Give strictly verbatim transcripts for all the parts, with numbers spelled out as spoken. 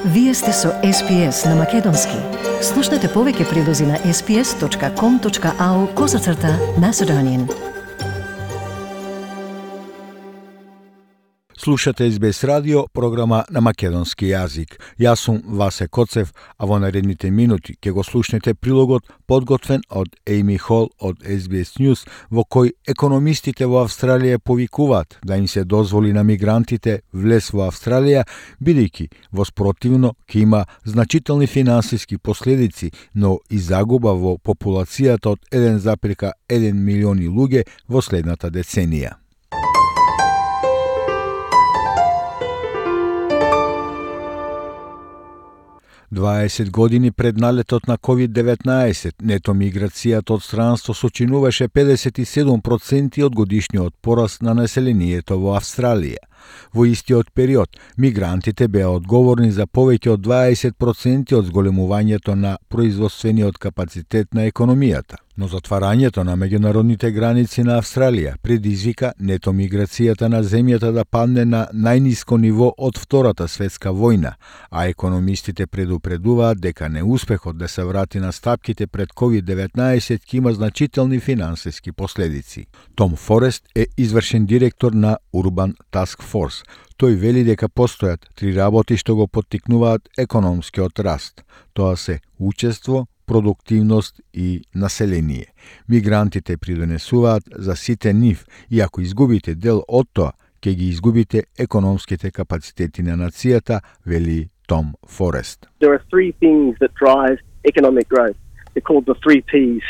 Вие сте со Ес Би Ес на Македонски. Слушнете повеќе прилози на ес би ес точка ком точка ау козацрта Macedonian. Слушате Ес Би Ес радио, програма на македонски јазик. Јас сум Васе Коцев, а во наредните минути ќе го слушнете прилогот подготвен од Ејми Хол од Ес Би Ес News, во кој економистите во Австралија повикуваат да им се дозволи на мигрантите влез во Австралија, бидејќи во спротивно ќе има значителни финансиски последици, но и загуба во популацијата од еден запирка еден милиони луѓе во следната деценија. дваесет години пред налетот на ковид деветнаесет, нето миграцијата од странство сочинуваше педесет и седум проценти од годишниот пораст на населението во Австралија. Во истиот период, мигрантите беа одговорни за повеќе од дваесет проценти од зголемувањето на производствениот капацитет на економијата. Но затварањето на меѓународните граници на Австралија предизвика нето миграцијата на земјата да падне на најниско ниво од Втората светска војна, а економистите предупредуваат дека неуспехот да се врати на стапките пред ковид деветнаесет ќе има значителни финансиски последици. Том Форест е извршен директор на Urban Task Force. Тој вели дека постојат три работи што го поттикнуваат економскиот раст. Тоа се учество, продуктивност и население. Мигрантите придонесуваат за сите нив и ако изгубите дел од тоа, ќе ги изгубите економските капацитети на нацијата, вели Том Форест. There are three things that drive economic growth. They're called the three P's: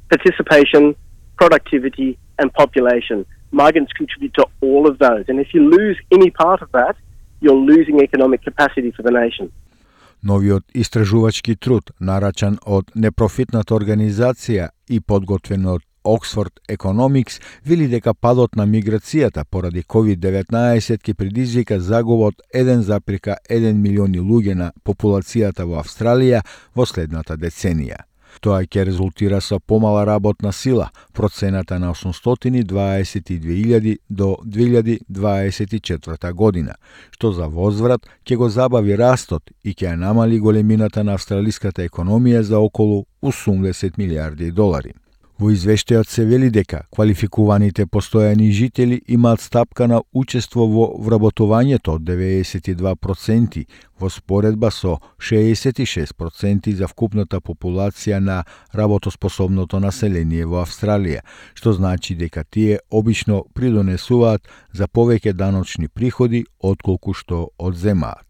participation, productivity and population. Migrants contribute to all of those, and if you lose any part of that, you're losing economic capacity for the nation. Новиот истражувачки труд, нарачан од непрофитната организација и подготвен од Oxford Economics, вели дека падот на миграцијата поради ковид деветнаесет ќе предизвика загуба од еден запирка еден милиони луѓе на популацијата во Австралија во следната деценија. Тоа ќе резултира со помала работна сила, процената на осумстотини и дваесет и две илјади до две илјади дваесет и четврта година, што за возврат ќе го забави растот и ќе ја намали големината на австралиската економија за околу осумдесет милијарди долари. Во извештајот се вели дека квалификуваните постојани жители имаат стапка на учество во вработувањето од деветдесет и два проценти во споредба со шеесет и шест проценти за вкупната популација на работоспособното население во Австралија, што значи дека тие обично придонесуваат за повеќе даночни приходи отколку што одземаат.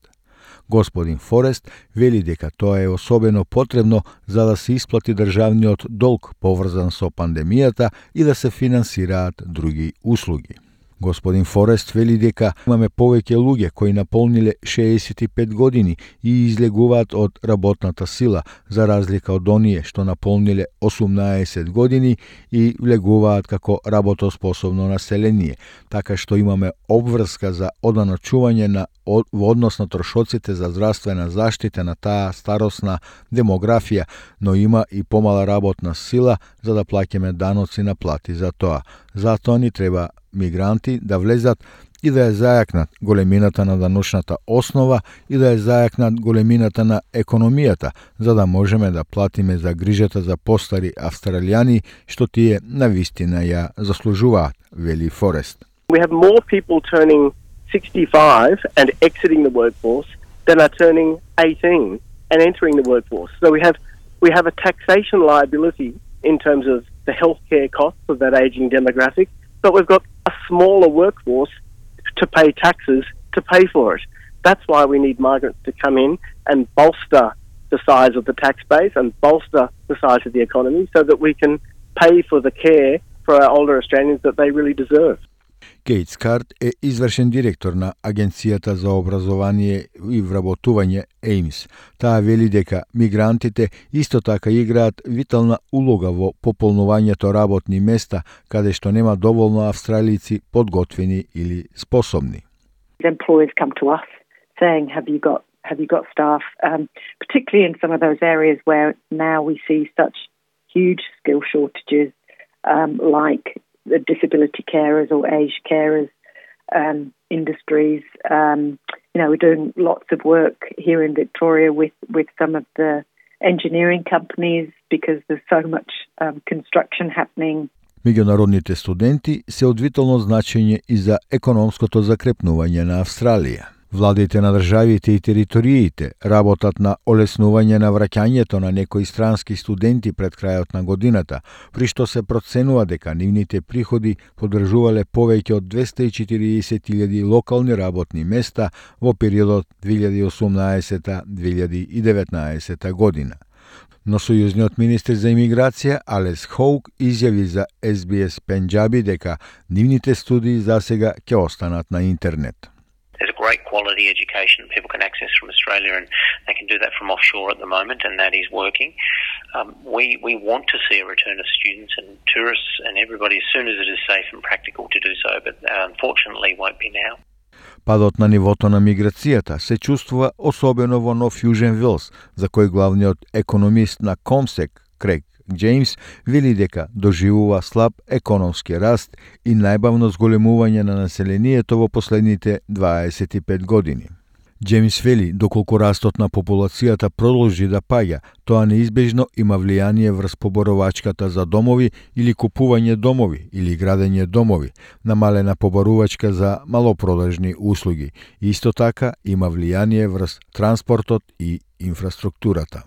Господин Форест вели дека тоа е особено потребно за да се исплати државниот долг поврзан со пандемијата и да се финансираат други услуги. Господин Форест вели дека имаме повеќе луѓе кои наполниле шеесет и пет години и излегуваат од работната сила, за разлика од оние што наполниле осумнаесет години и влегуваат како работоспособно население, така што имаме обврска за оданочување на во однос на трошоците за здравствена заштита на таа старосна демографија, но има и помала работна сила за да плаќаме даноци на плати за тоа. Затоа ни треба мигранти да влезат и да ја зајакнат големината на даночната основа и да ја зајакнат големината на економијата, за да можеме да платиме за грижата за постари австралијани, што тие навистина ја заслужуваат, вели Форест. We have more people turning sixty-five and exiting the workforce than are turning eighteen and entering the workforce. So we have we have a taxation liability in terms of the healthcare costs of that aging demographic, but we've got a smaller workforce to pay taxes to pay for it. That's why we need migrants to come in and bolster the size of the tax base and bolster the size of the economy so that we can pay for the care for our older Australians that they really deserve. Кейт Скарт е извршен директор на Агенцијата за образование и вработување Еймс. Таа вели дека мигрантите исто така играат витална улога во пополнувањето работни места каде што нема доволно австралици подготвени или способни. Employers come to us saying, have you got have you got staff, um, particularly in some of those areas where now we see such huge skill shortages, um, like the disability carers or aged carers um, industries, um, you you know, we're doing lots of work here in Victoria with, with some of the engineering companies because there's so much um, construction happening. Меѓународните студенти се од витално значење и за економското закрепнување на Австралија. Владите на државите и териториите работат на олеснување на враќањето на некои странски студенти пред крајот на годината, при што се проценува дека нивните приходи поддржувале повеќе од двесте и четириесет илјади локални работни места во периодот две илјади и осумнаесета до две илјади и деветнаесета година. Но сојузниот министер за имиграција Алес Хоук изјави за Ес Би Ес Пенџаби дека нивните студии засега ќе останат на интернет. There's a great quality education people can access from Australia, and they can do that from offshore at the moment, and that is working. Um, we, we want to see a return of students and tourists and everybody as soon as it is safe and practical to do so, but uh, unfortunately won't be now. Падот на нивото на миграцијата се чувствува особено во Нов Јужен Велс, за кој главниот економист на Комсек, Крейг Джеймс, вели дека доживува слаб економски раст и најбавно зголемување на населението во последните дваесет и пет години. Джеймс вели, доколку растот на популацијата продолжи да паѓа, тоа неизбежно има влијание врз поборовачката за домови или купување домови или градење домови, намалена поборувачка за малопродажни услуги. Исто така има влијание врз транспортот и инфраструктурата.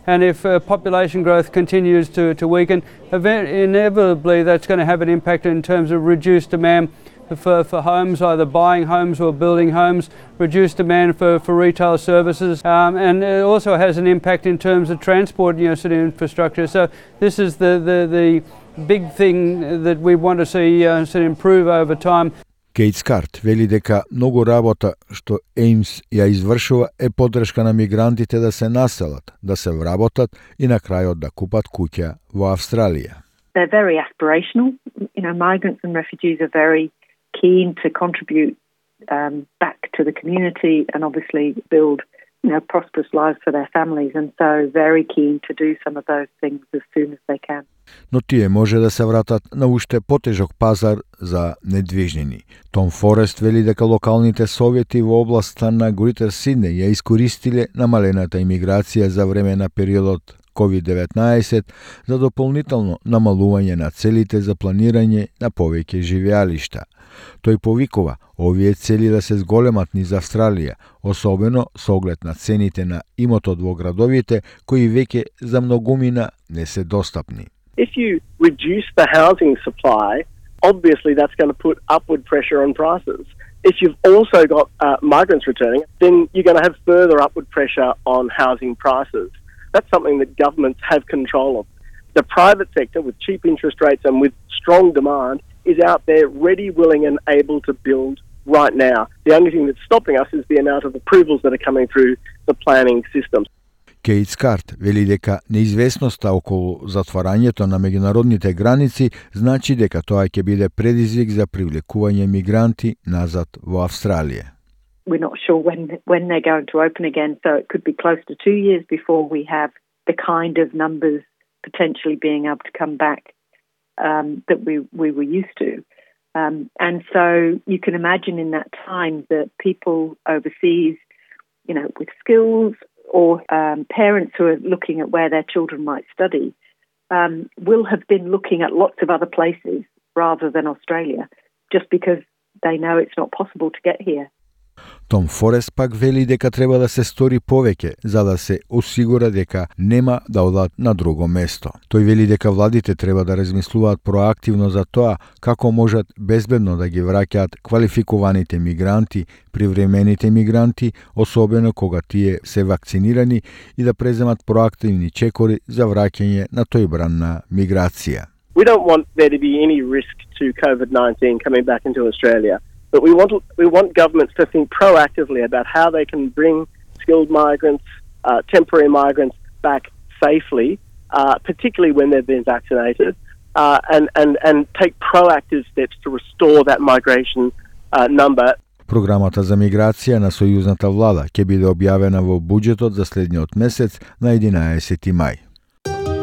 And if uh, population growth continues to, to weaken, inevitably that's going to have an impact in terms of reduced demand for, for homes, either buying homes or building homes, reduced demand for, for retail services, um, and it also has an impact in terms of transport, you know, sort of infrastructure. So this is the, the, the big thing that we want to see uh, sort of improve over time. Кейт Скарт вели дека многу работа што Еймс ја извршува е поддршка на мигрантите да се населат, да се вработат и на крајот да купат куќа во Австралија. They're very aspirational. You know, migrants and refugees are very keen to contribute um, back to the community and obviously build, you know, prosperous lives for their families, and so very keen to do some of those things as soon as they can. Но тие може да се вратат на уште потежок пазар за недвижнини. Том Форест вели дека локалните совети во областа на Грейтер Сиднеј ја искористиле намалената имиграција за време на периодот ковид деветнаесет за дополнително намалување на целите за планирање на повеќе живеалишта. Тој повикува овие цели да се зголемат низ Австралија, особено со оглед на цените на имотот во градовите кои веќе за многумина не се достапни. If you reduce the housing supply, obviously that's going to put upward pressure on prices. If you've also got uh, migrants returning, then you're going to have further upward pressure on housing prices. That's something that governments have control of. The private sector, with cheap interest rates and with strong demand, is out there ready, willing and able to build right now. The only thing that's stopping us is the amount of approvals that are coming through the planning systems. Кейт Скарт вели дека неизвестноста околу затварањето на меѓународните граници значи дека тоа ќе биде предизвик за привлекување мигранти назад во Австралија. We're not sure when when they're going to open again, so it could be close to two years before we have the kind of numbers potentially being able to come back um, that we, we were used to. Um, and so you can imagine in that time that people overseas, you know, with skills or um, parents who are looking at where their children might study um, will have been looking at lots of other places rather than Australia, just because they know it's not possible to get here. Том Форест пак вели дека треба да се стори повеќе за да се осигура дека нема да одат на друго место. Тој вели дека владите треба да размислуваат проактивно за тоа како можат безбедно да ги враќаат квалификуваните мигранти, привремените мигранти, особено кога тие се вакцинирани, и да преземат проактивни чекори за враќање на тој бран на миграција. We don't want there to be any risk to COVID nineteen coming back into Australia. But we want we want governments to think proactively about how they can bring skilled migrants, uh, temporary migrants back safely, uh, particularly when they've been vaccinated, uh, and, and, and take proactive steps to restore that migration uh, number. Програмата за миграција на сојузната влада ќе биде објавена во буџетот за следниот месец на единаесети мај.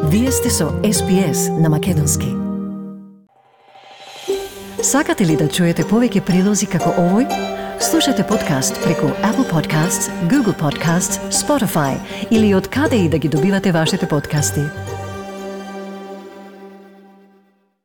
Вие сте со Ес Би Ес на Македонски. Сакате ли да чуете повеќе прилози како овој? Слушате подкаст преку Apple Podcasts, Google Podcasts, Spotify или од каде и да ги добивате вашите подкасти.